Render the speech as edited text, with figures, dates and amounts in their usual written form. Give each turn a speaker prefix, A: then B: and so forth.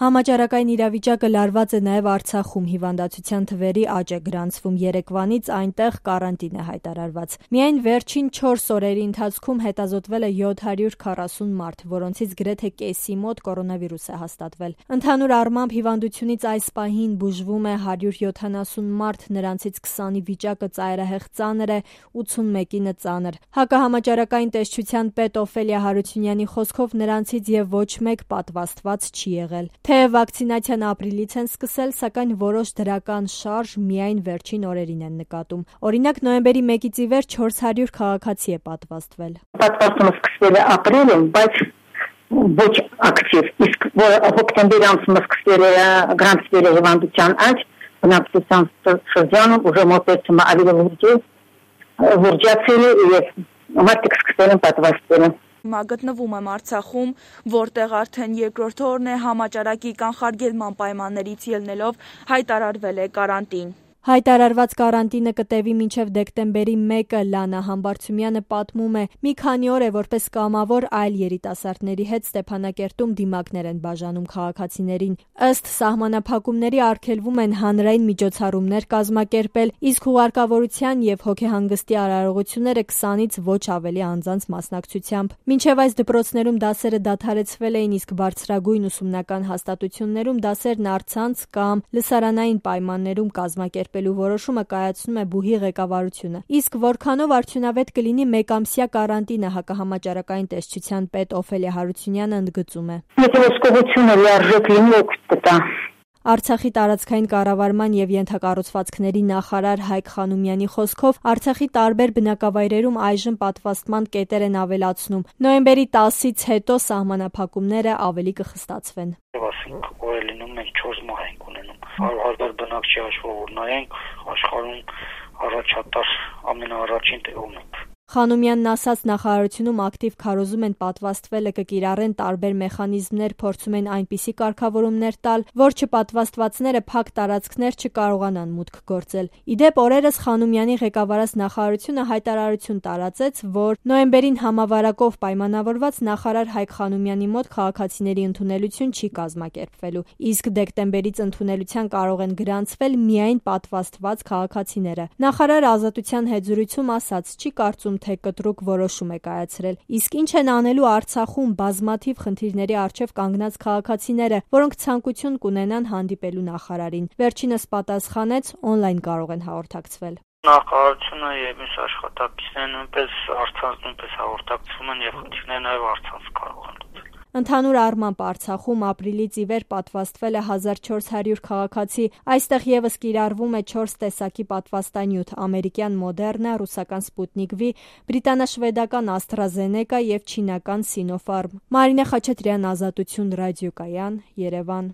A: Համաճարակային իրավիճակը լարված է նաև Արցախում, հիվանդացության թվերի աճ է գրանցվում, երեկվանից այնտեղ կարանտին է հայտարարված։ Միայն վերջին 4 օրերի ընթացքում հետազոտվել է 740 մարդ, որոնցից գրեթե կեսի մոտ կորոնավիրուս է հաստատվել։ Ընդհանուր առմամբ հիվանդությունից այս պահին բուժվում է 170 մարդ, նրանցից 20-ի վիճակը ծայրահեղ ծանր է, 81-ինը ծանր։ Հակահամաճարակային տեսչության պետ Օֆելիա Հարությունյանի խոսքով նրանցից եւ ոչ մեկ պատվաստված չի եղել։ Թեև վակցինացիան ապրիլից են սկսել, սակայն որոշ դրական շարժ միայն վերջին օրերին են նկատում։ Օրինակ նոյեմբերի 1-ից ի վեր 400 քաղաքացի է պատվաստվել։
B: Պատվաստումը սկսվել է ապրիլում, բայց ոչ ակտիվ, իսկ հոկտեմբերի ամսում սկսվել է գրանցվել հիվանդության աճ, բնակչության շրջանում ուժը մոտեցումը ավելի ուրջացել է եւ մարդիկ սկսել են պատվաստվել։
C: Հիմա գտնվում եմ Արցախում, որտեղ արդեն երկրորդ օրն է համաճարակի կանխարգելման պայմաններից ելնելով հայտարարվել է կարանտին։
A: Հայտարարված կարանտինը կտևի մինչև դեկտեմբերի 1-ը, Լանա Համբարձումյանը պատմում է, մի քանի օր է որպես կամավոր այլ երիտասարդների հետ Ստեփանակերտում դիմակներ են բաժանում քաղաքացիներին։ Ըստ սահմանափակումների արգելվում են հանրային միջոցառումներ կազմակերպել, իսկ հուղարկավորության եւ հոգեհանգստի արարողությունները 20-ից ոչ ավելի անձանց մասնակցությամբ։ Մինչև այս դպրոցներում դասերը դադարեցվել էին, իսկ բարձրագույն ուսումնական հաստատություններում դասերն առցանց կամ լսարանային պայմաններում կազմակերպելու որոշումը կայացնում է ԲՈՒՀ-ի ղեկավարությունը։ Իսկ որքանով արդյունավետ կլինի մեկամսյա կարանտինը, հակահամաճարակային տեսչության պետ Օֆելիա Հարությունյանը ընդգծում է։
B: Եթե ոսկողությունը լիարժեք լինի, օգուտ կտա։
A: Արցախի տարածքային կառավարման եւ ենթակառուցվածքների նախարար Հայկ Խանոմյանի խոսքով Արցախի տարբեր բնակավայրերում այժմ պատվաստման կետեր են ավելացնում։ Նոյեմբերի 10-ից հետո սահմանափակումները ավելի կխստացվեն։
D: Ասենք օրը լինում մենք 4 մահ ենք ունենում։ 100,000 բնակչի հաշվով նայենք, աշխարհում առաջատար ամենաառաջին տեղում ենք։
A: Խանոմյանն ասաց, նախարարությունում ակտիվ քարոզում են պատվաստվելը կկիրառեն տարբեր մեխանիզմներ, փորձում են այնպիսի կարգավորումներ տալ, որ չպատվաստվածները փակ տարածքներ չկարողանան մուտք գործել։ Իդեպ օրերս Խանոմյանի ղեկավարած նախարարությունը հայտարարություն տարածեց, որ նոյեմբերին համավարակով պայմանավորված նախարար Հայկ Խանոմյանի մոտ քաղաքացիների ընդունելություն չի կազմակերպվելու, իսկ դեկտեմբերից ընդունելության կարող են գրանցվել միայն պատվաստված քաղաքացիները։ Նախարարը Ազատության հետ զրույցում ասաց, չի կարծում թե կտրուկ որոշում է կայացրել, իսկ ինչ են անելու Արցախում բազմաթիվ խնդիրների առջև կանգնած քաղաքացիները, որոնք ցանկություն կունենան հանդիպելու նախարարին։ Վերջինս պատասխանեց, օնլայն կարող են հաղորդակցվել։
D: Նախարարությունը եւ մյուս աշխատակիցները նույնպես առցանց նույնպես հաղորդակցվում են եւ խնդիրները նաեւ առցանց կարող են լուծել։
A: Ընդհանուր առմամբ Արցախում ապրիլից ի վեր պատվաստվել է 1400 քաղաքացի, այստեղ եւս կիրառվում է 4 տեսակի պատվաստանյութ՝ ամերիկյան Մոդեռնա, ռուսական Սպուտնիկ V, բրիտանա-շվեդական AstraZeneca եւ չինական Sinopharm։ Մարինե Խաչատրյան, Ազատություն ռադիոկայան, Երևան։